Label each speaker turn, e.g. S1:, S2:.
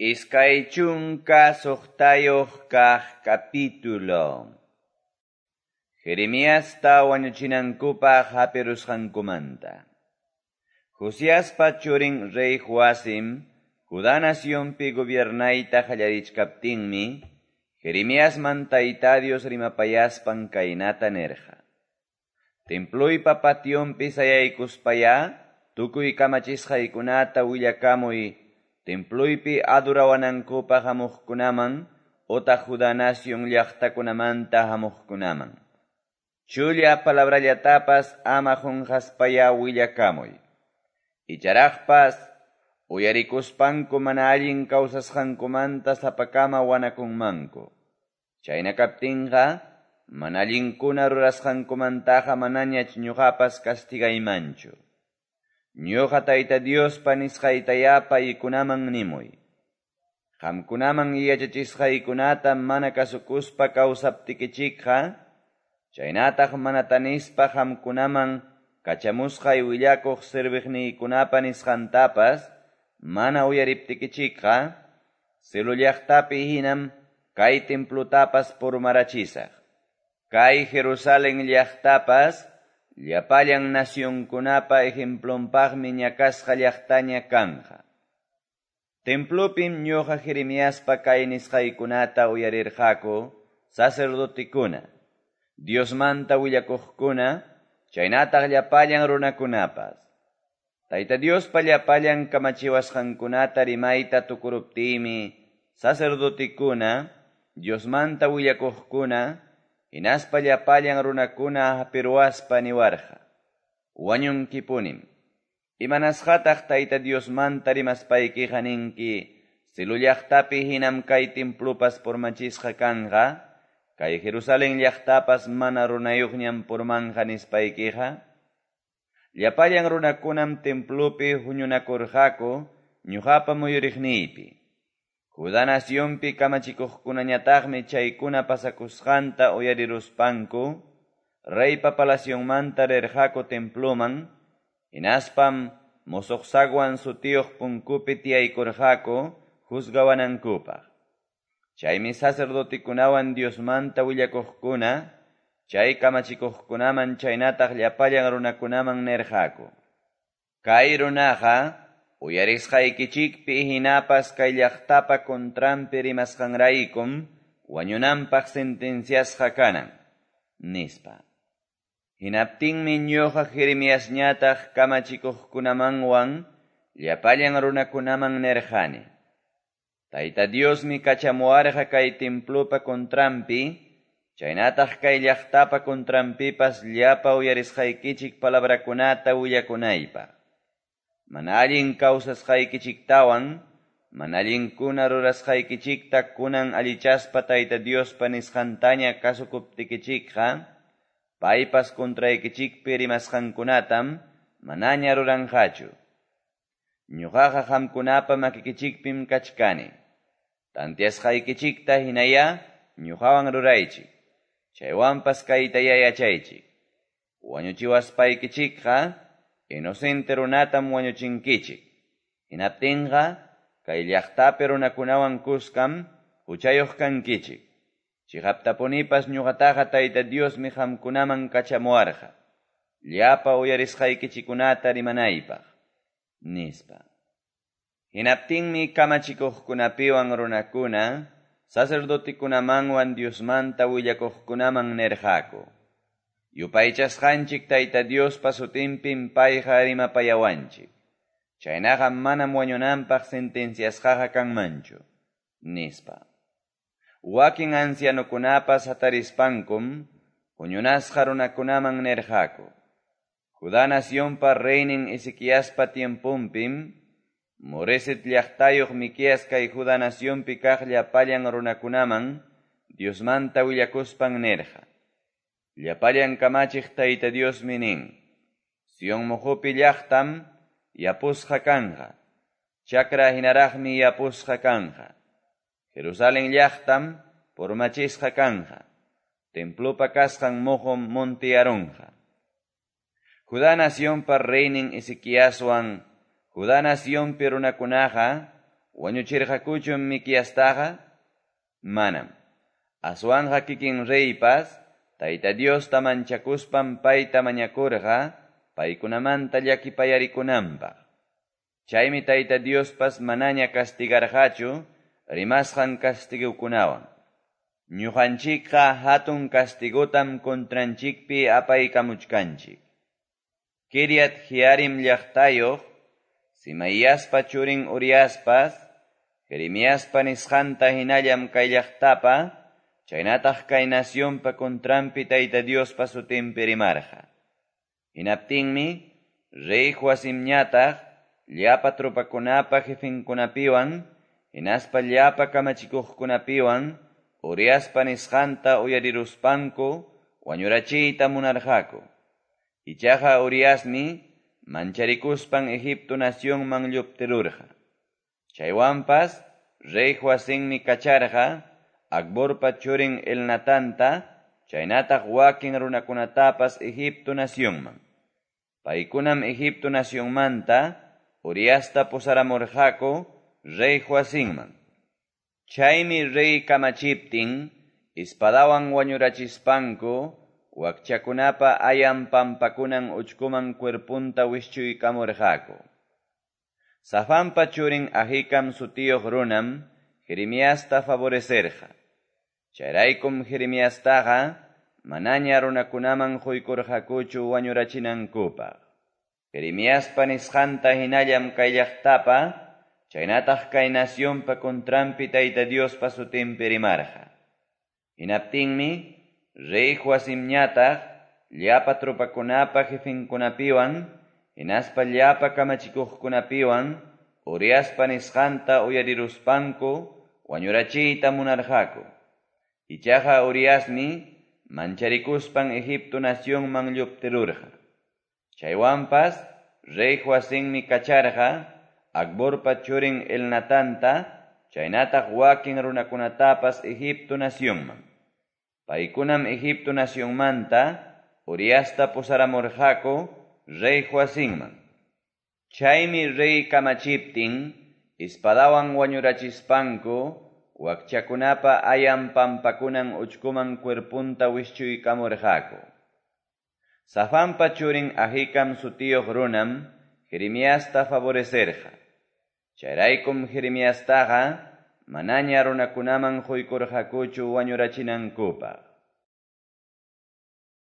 S1: 26 kaq capítulo. Jeremiasta wañuchinankupaq hapirusqankumanta. Josiaspa churin rey Joacim, Judá nacionpi gobiernayta qallarichkaptinmi, Jeremiasman Tayta Dios rimapayaspan kaynata nirqa. Temploypa pationpi sayaykuspayá, tukuy kamachisqaykunata willakamuy, temploypi adorawanankupaq hamuqkunaman otaq Judá nación llaqtakunamanta hamuqkunaman. Chulla palabrallatapas ama qunqaspayá willakamuy. Icharaqpas uyarikuspanku mana allin kawsasqankumanta sapakama wanakunmanku. Chayna kaptinqa mana allinkuna rurasqankumantaqa manañach ñuqapas castigaymanchu. Ñuqa Tayta Diospa nisqaytayá paykunaman nimuy. Qamkunaman yachachisqaykunata mana kasukuspa kawsaptikichikqa, chaynataq mana tanispa qamkunaman kachamusqay willakuq serviqniykunapa nisqantapas mana uyariptikichikqa, Silo llaqtapi hinam kay templutapas purmarachisaq. Kay Jerusalén llaqtapas llapallan nacionkunapa ejemplonpaqmi ñakasqa llaqtaña kanja. Templopim ñuqa Jeremiaspa kay nisqaykunata uyarirqaku sacerdotekuna, Diosmanta willakuqkuna, chaynataq llapallan runakunapas. Tayta Diospa llapallan kamachiwasqankunata rimayta tukuruptiymi sacerdotekuna, Diosmanta willakuqkuna, hinaspa llapallan runakuna hapiruwaspa niwarqa. Wañunkipunim. Imanasqataq Tayta Diosmanta rimaspaykiqa ninki, Silo llaqtapi hinam kay templopas purmachisqa kanqa, kay Jerusalén llaqtapas mana runayuqñam purmanja nispaykiqa. Llapallan runakunam templopi huñunakurqaku ñuqapa muyuriqniypi. Judá nacionpi kamachikuqkunañataqmi chaykuna pasakusqanta uyariruspanku, reypa palacionmanta rirqaku temploman, hinaspam musuq zaguan sutiyuq punkupi tiyaykurqaku juzgawanankupaq. Chaymi sacerdotekunawan Diosmanta willakuqkuna, chay kamachikuqkunaman chaynataq llapallan runakunaman nirqaku. Kay runaqa uyarisqaykichikpi hinapas kay llaqtapa contranpi rimasqanraykum wañunanpaq sentenciasqa kanan, nispa. Hinaptinmi ñuqa Jeremiasñataq kamachikuqkunamanwan llapallan runakunaman nirqani. Tayta Diosmi kachamuwarqa kay templopa contranpi, chaynataq kay llaqtapa contranpipas llapa uyarisqaykichik palabrakunata willakunaypaq. Mana allin kawsasqaykichiktawan, mana allinkuna rurasqaykichikta kunan allichaspa Tayta Diospa nisqantaña kasukuptikichikqa, paypas contraykichikpi rimasqankunatam manaña ruranqachu. Ñuqaqa qamkunapa makikichikpim kachkani. Tantiasqaykichikta hinayá ñuqawan ruraychik. Chaywanpas kaytayá yachaychik. Wañuchiwaspaykichikqa inocente runatam wañuchinkichik. Hinaptinqa kay llaqtapi runakunawan kuskam huchayuq kankichik. Chiqaptapunipas ñuqataqa Tayta Diosmi qamkunaman kachamuwarqa, llapa uyarisqaykichikunata rimanaypaq, nispa. Hinaptinmi kamachikuqkunapiwan runakuna, sacerdotekunamanwan Diosmanta willakuqkunaman nirqaku. Yupaychasqanchik Tayta Diospa sutinpim payqa rimapayawanchik. Chaynaqa manam wañunanpaq sentenciasqaqa kanmanchu, nispa. Wakin ancianokunapas hatarispankum huñunasqa runakunaman nirqaku. Judá nacionpa reynin Ezequiaspa tiemponpim, Moreset llaqtayuq Miqueas kay Judá nacionpi kaq llapallan runakunaman Diosmanta willakuspan nirqa. Llapallan kamachiq Tayta Diosmi nin, Sion muqupi llaqtam yapusqa kanja, chakra hinaraqmi yapusqa kanja. Jerusalén llaqtam purmachisqa kanja, templopa kasqan muqum montiyarunqa. Judá nacionpa reynin Ezequiaswan, Judá nacionpi runakunaqa, Wañuchirqakuchum Miqueastaqa? Manam. Aswanqa kikin reypas Tayta Diosta manchakuspan payta mañakurqa paykunamanta llakipayarikunanpaq. Chaymi Tayta Diospas manaña castigarqachu rimasqan castigokunawan. Ñuqanchikqa hatun castigotam contranchikpi apaykamuchkanchik. Kiriat Jearim llaqtayuq, Simaiaspa churin Uriaspas, Jeremiaspa nisqanta hinallam kay llaqtapa, chaynataq kay nacionpa contranpi Tayta Diospa sutinpi rimarqa. Hinaptinmi, rey Joacimñataq, llapa tropakunapa jefenkunapiwan, hinaspa llapa kamachikuqkunapiwan, Uriaspa nisqanta uyariruspanku, wañurachiyta munarqaku. Ichaqa Uriasmi mancharikuspan Egipto nacionman lluptirurqa. Chaywanpas rey Joacimmi kacharqa Acborpa churin Elnatanta, chaynataq wakin runakunatapas Egipto nacionman. Paykunam Egipto nacionmanta Uriasta pusaramurqaku rey Joacimman. Chaymi rey kamachiptin, espadawan wañurachispanku, wakchakunapa ayan pampakunan uchkuman cuerpunta wischuykamurqaku. Safanpa churin Ahikam sutiyuq runam Jeremiasta favorecerqa. Chayraykum Jeremiastaqa manaña runakunaman quykurqakuchu wañurachinankupaq. Jeremiaspa nisqanta hinallam kay llaqtapa, chaynataq kay nacionpa contranpi Tayta Diospa sutinpi rimarqa. Hinaptinmi, rey Joacimñataq llapa tropakunapa jefenkunapiwan, hinaspa llapa kamachikuqkunapiwan, Uriaspa nisqanta uyariruspanku, wañurachiyta munarqaku. Ichaqa Uriasmi mancharikuspan Egipto nacionman lluptirurqa. Chaywanpas rey Joacimmi kacharqa Acborpa churin Elnatanta, chaynataq wakin runakunatapas Egipto nacionman. Paykunam Egipto nacionmanta Uriasta pusaramurqaku rey Joacimman. Chaymi rey kamachiptin, espadawan wañurachispanku, wakchakunapa ayan pampakunan uchkuman cuerpunta wischuykamurqaku. Safanpa churin Ahikam sutiyuq runam Jeremiasta favorecerqa. Chayraykum Jeremiastaqa manaña runakunaman quykurqakuchu wañurachinankupaq.